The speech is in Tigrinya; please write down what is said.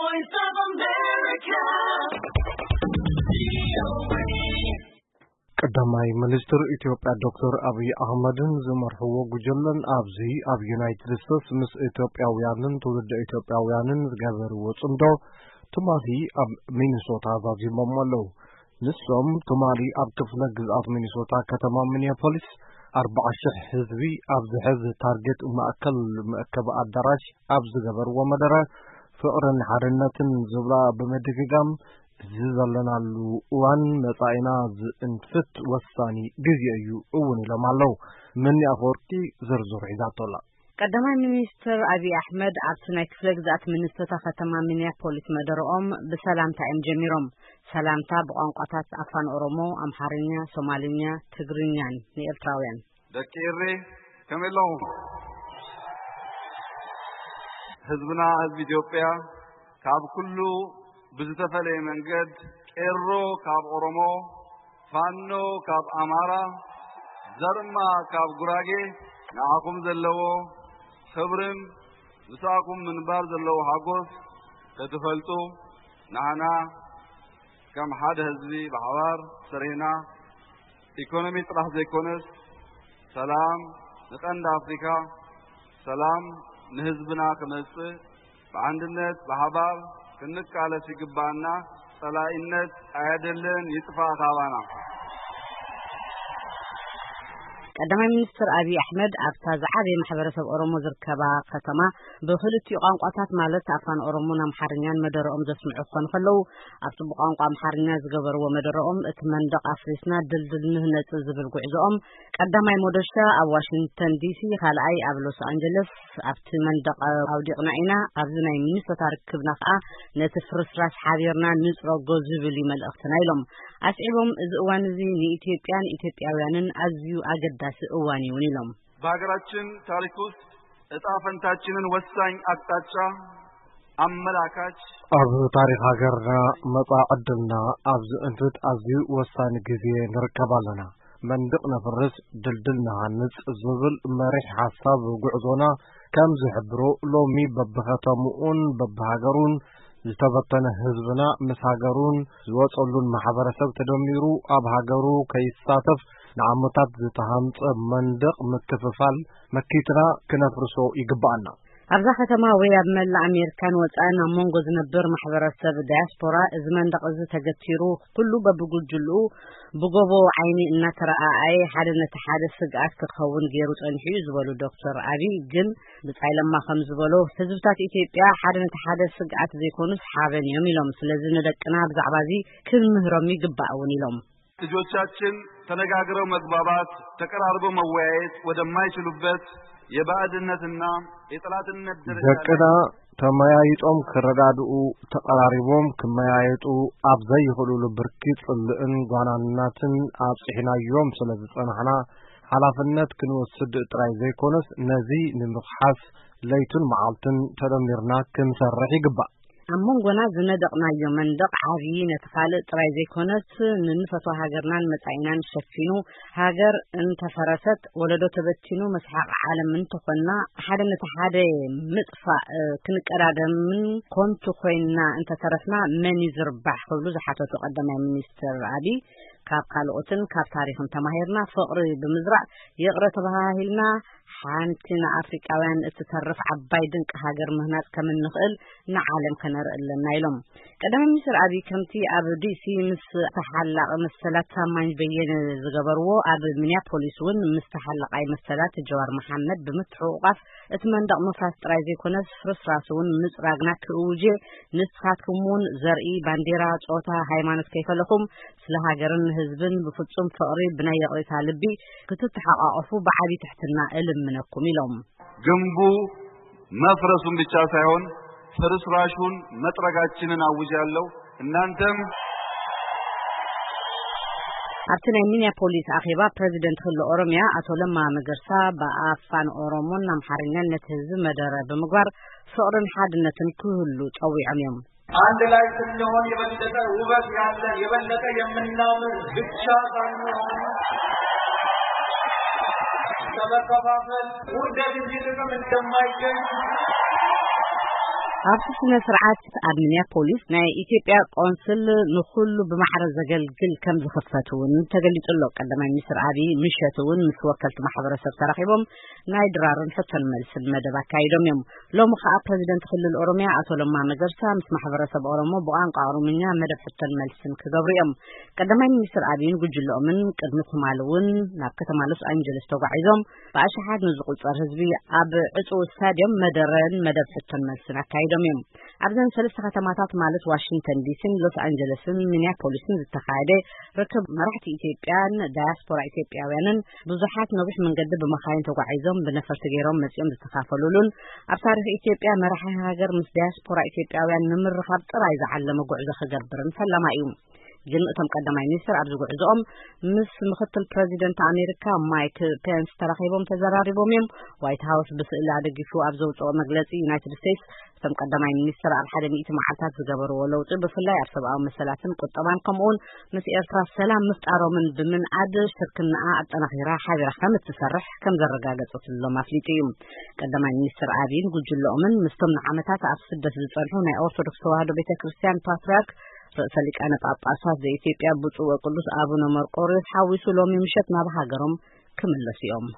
Voice of America. ቀዳማይ ሚኒስትር ኢትዮጵያ ዶክተር ኣብይ ኣህመድን ዝመርሕዎ ጉጅለን ኣብዚ ኣብ ዩናይትድ ስቴትስ ምስ ኢትዮጵያውያንን ትውልደ ኢትዮጵያውያንን ዝገበርዎ ጽምዶ ትማሊ ኣብ ሚኒሶታ ዛዚሞም ኣለዉ። ንሶም ትማሊ ኣብ ክፍለ ግዝኣት ሚኒሶታ ከተማ ሚኒያፖሊስ ኣርባዓ ሽሕ ህዝቢ ኣብ ዝሕዝ ታርጌት ማእከል መእከቢ ኣዳራሽ ኣብ ዝገበርዎ መደረ ፍቕርን ሓድነትን ዝብላ ብምድግጋም እዚ ዘለናሉ እዋን መጻኢና ዝእንፍት ወሳኒ ግዜ እዩ እውን ኢሎም ኣለዉ። መኒ ኣፈወርቂ ዝርዝሩ ሒዛቶ ኣላ። ቀዳማይ ሚኒስትር ኣብይ ኣሕመድ ኣብቲ ናይ ክፍለ ግዝኣት ሚኒሶታ ከተማ ሚኒያፖሊስ መደረኦም ብሰላምታ እዮም ጀሚሮም። ሰላምታ ብቋንቋታት ኣፋን ኦሮሞ፣ ኣምሓርኛ፣ ሶማልኛ፣ ትግርኛን ንኤርትራውያን። ደቂ ኤሬ ከመይ ኣለኹም? ህዝብና ህዝቢ ኢትዮጵያ ካብ ኩሉ ብዝተፈለየ መንገድ ቄሮ ካብ ኦሮሞ፣ ፋኖ ካብ ኣማራ፣ ዘርማ ካብ ጉራጌ ንዓኹም ዘለዎ ክብርን ምሳኹም ምንባር ዘለዎ ሓጎስ ክትፈልጡ ንዓና ከም ሓደ ህዝቢ ብሓባር ሰሪሕና ኢኮኖሚ ጥራሕ ዘይኮነስ ሰላም ንቀንዲ ኣፍሪካ፣ ሰላም ንህዝብና ክመጽእ ብዓንድነት ብሓባር ክንቃለስ ይግባኣና። ጸላኢነት ኣየድልን፣ ይጥፋእ ካባና። ቀዳማይ ሚኒስትር ኣብይ ኣሕመድ ኣብታ ዝዓበየ ማሕበረሰብ ኦሮሞ ዝርከባ ከተማ ብክልቲኡ ቋንቋታት ማለት ኣፋን ኦሮሞን ኣምሓርኛን መደረኦም ዘስምዑ ክኾኑ ከለዉ ኣብቲ ብቋንቋ ኣምሓርኛ ዝገበርዎ መደረኦም እቲ መንደቕ ኣፍሪስና ድልድል ንህነጽ ዝብል ጉዕዞኦም ቀዳማይ ሞደሻ ኣብ ዋሽንግተን ዲሲ፣ ካልኣይ ኣብ ሎስ ኣንጀለስ ኣብቲ መንደቕ ኣውዲቕና ኢና። ኣብዚ ናይ ሚኒሶታ ርክብና ከኣ ነቲ ፍርስራስ ሓቢርና ንጽረጎ ዝብል እዩ መልእኽትና ኢሎም። ኣስዒቦም እዚ እዋን እዚ ንኢትዮጵያን ኢትዮጵያውያንን ኣዝዩ ኣገዳሲ እዋን እዩ እውን ኢሎም። በሀገራችን ታሪክ ውስጥ እጣ ፈንታችንን ወሳኝ አቅጣጫ አመላካች ኣብ ታሪኽ ሃገርና መጻኢ ዕድልና ኣብ ዝእንፍት ኣዝዩ ወሳኒ ግዜ ንርከብ ኣለና። መንድቕ ነፍርስ ድልድል ንሃንጽ ዝብል መሪሕ ሓሳብ ጉዕዞና ከም ዝሕብሮ ሎሚ በብኸተምኡን በብሃገሩን ዝተበተነ ህዝብና ምስ ሃገሩን ዝወጸሉን ማሕበረሰብ ተደሚሩ ኣብ ሃገሩ ከይሳተፍ ንዓመታት ዝተሃንጸ መንደቕ ምክፍፋል መኪትና ክነፍርሶ ይግባኣና። ኣብዛ ከተማ ወይ ኣብ መላእ ኣሜሪካን ወጻእን ኣብ መንጎ ዝነብር ማሕበረሰብ ዳያስፖራ እዚ መንደቕ እዚ ተገቲሩ ኩሉ በብጉጅልኡ ብጎቦ ዓይኒ እናተረኣኣየ ሓደ ነቲ ሓደ ስግኣት ክኸውን ገይሩ ጸኒሑ እዩ ዝበሉ ዶክተር ኣቢይ ግን ብጻይ ለማ ከም ዝበሎ ህዝብታት ኢትዮጵያ ሓደ ነቲ ሓደ ስግኣት ዘይኮኑስ ሓበን እዮም ኢሎም። ስለዚ ንደቅና ብዛዕባ እዚ ክንምህሮም ይግባእ እውን ኢሎም። ልጆቻችን ተነጋግረው መግባባት፣ ተቀራርበው መወያየት ወደማይችሉበት የባዕድነትና የጠላትነት ደረጃ ላይ ደቅና ተመያይጦም ክረዳድኡ፣ ተቐራሪቦም ክመያየጡ ኣብ ዘይኽእሉሉ ብርኪ ጽልእን ጓናናትን ኣብጺሕናዮም ስለ ዝጸናሕና፣ ሓላፍነት ክንወስድ ጥራይ ዘይኮነስ፣ ነዚ ንምኽሓስ ለይቱን መዓልቱን ተደሚርና ክንሰርሕ ይግባእ። ኣብ መንጎና ዝነደቕናዮ መንደቕ ዓብዪ ነቲ ካልእ ጥራይ ዘይኮነስ፣ ንንፈትዋ ሃገርናን መጻኢናን ሸፊኑ፣ ሃገር እንተፈረሰት፣ ወለዶ ተበቲኑ፣ መስሓቕ ዓለም እንተኾንና፣ ሓደ ነቲ ሓደ ምጥፋእ ክንቀዳደምን ኮንቱ ኮይንና እንተተረፍና መን እዩ ዝርባሕ ክብሉ ዝሓተቱ ቀዳማይ ሚኒስትር ኣቢይ፣ ካብ ካልኦትን ካብ ታሪኽን ተማሂርና ፍቕሪ ብምዝራእ ይቕረ ተባሃሂልና ሓንቲ ንኣፍሪቃውያን እትተርፍ ዓባይ ድንቂ ሃገር ምህናጽ ከም እንኽእል ንዓለም ከነርኢ ኣለና ኢሎም። ቀዳማይ ሚኒስትር ኣቢይ ከምቲ ኣብ ዲሲ ምስ ተሓላቒ መሰላት ታማኝ በየነ ዝገበርዎ ኣብ ሚኒያፖሊስ እውን ምስ ተሓላቓይ መሰላት ጀዋር መሓመድ ብምትሕቑቓፍ እቲ መንደቕ ምፍራስ ጥራይ ዘይኮነስ ፍርስራስ እውን ምጽራግና ክእውጅ እየ። ንስኻትኩም እውን ዘርኢ፣ ባንዴራ፣ ጾታ፣ ሃይማኖት ከይፈለኹም ስለ ሃገርን ህዝብን ብፍጹም ፍቕሪ ብናይ ይቕሬታ ልቢ ክትተሓቋቐፉ ብዓቢ ትሕትና እልምነኩም ኢሎም። ግንቡ መፍረሱን ብቻ ሳይሆን ፍርስራሹን መጥረጋችንን አውጃለሁ። እናንተም ኣብቲ ናይ ሚኒያፖሊስ ኣኼባ ፕረዚደንት ክልል ኦሮሚያ ኣቶ ለማ መገርሳ ብኣፋን ኦሮሞን ኣምሓርኛን ነቲ ህዝቢ መደረ ብምግባር ፍቕርን ሓድነትን ክህሉ ጸዊዖም እዮም። አንድ ላይ ስንሆን የበለጠ ውበት ያለ የበለጠ የምናምር ብቻ ሳንሆን ከመከፋፈል ውርደት እንጂ ጥቅም እንደማይገኝ ኣብቲ ስነ ስርዓት ኣብ ሚኒያፖሊስ ናይ ኢትዮጵያ ቆንስል ንኹሉ ብማዕረ ዘገልግል ከም ዝኽፈት እውን ተገሊጹ ኣሎ። ቀዳማይ ሚኒስትር ኣብይ ምሸት እውን ምስ ወከልቲ ማሕበረሰብ ተራኺቦም ናይ ድራርን ሕቶን መልስን መደብ ኣካይዶም እዮም። ሎሚ ከኣ ፕረዚደንት ክልል ኦሮሚያ ኣቶ ለማ መገርሳ ምስ ማሕበረሰብ ኦሮሞ ብቋንቋ ኦሮምኛ መደብ ሕቶን መልስን ክገብሩ እዮም። ቀዳማይ ሚኒስትር ኣብይን ጉጅለኦምን ቅድሚ ትማሊ እውን ናብ ከተማ ሎስ ኣንጀለስ ተጓዒዞም ብኣሽሓት ንዝቑጸር ህዝቢ ኣብ ዕጹው ስታድዮም መደረን መደብ ሕቶን መልስን ኣካይዶም እዮም። ኣብዘን ሰለስተ ከተማታት ማለት ዋሽንግተን ዲሲን ሎስ ኣንጀለስን ሚኒያፖሊስን ዝተኻየደ ርክብ መራሕቲ ኢትዮጵያን ዳያስፖራ ኢትዮጵያውያንን ብዙሓት ነዊሕ መንገዲ ብመኻይን ተጓዒዞም ብነፈርቲ ገይሮም መጺኦም ዝተኻፈሉሉን ኣብ ታሪኽ ኢትዮጵያ መራሒ ሃገር ምስ ዳያስፖራ ኢትዮጵያውያን ንምርኻብ ጥራይ ዝዓለመ ጉዕዞ ክገብርን ፈለማ እዩ። ግን እቶም ቀዳማይ ሚኒስትር ኣብዚ ጉዕዞኦም ምስ ምክትል ፕረዚደንት ኣሜሪካ ማይክ ፔንስ ተራኺቦም ተዘራሪቦም እዮም። ዋይት ሃውስ ብስእሊ ኣደጊፉ ኣብ ዘውፅኦ መግለፂ ዩናይትድ ስቴትስ እቶም ቀዳማይ ሚኒስትር ኣብ ሓደ ሚእቲ መዓልታት ዝገበርዎ ለውጢ ብፍላይ ኣብ ሰብኣዊ መሰላትን ቁጠባን ከምኡውን ምስ ኤርትራ ሰላም ምፍጣሮምን ብምንኣድ ሽርክናኣ ኣጠናኺራ ሓቢራ ከም እትሰርሕ ከም ዘረጋገፀትሎም ኣፍሊጡ እዩ። ቀዳማይ ሚኒስትር ኣብይን ጉጅለኦምን ምስቶም ንዓመታት ኣብ ስደት ዝጸንሑ ናይ ኦርቶዶክስ ተዋህዶ ቤተ ክርስቲያን ፓትርያርክ ርእሰ ሊቃነ ጳጳሳት ዘኢትዮጵያ ብፁዕ ወቅዱስ ኣቡነ መርቆሪዎስ ሓዊሱ ሎሚ ምሸት ናብ ሃገሮም ክምለሱ እዮም።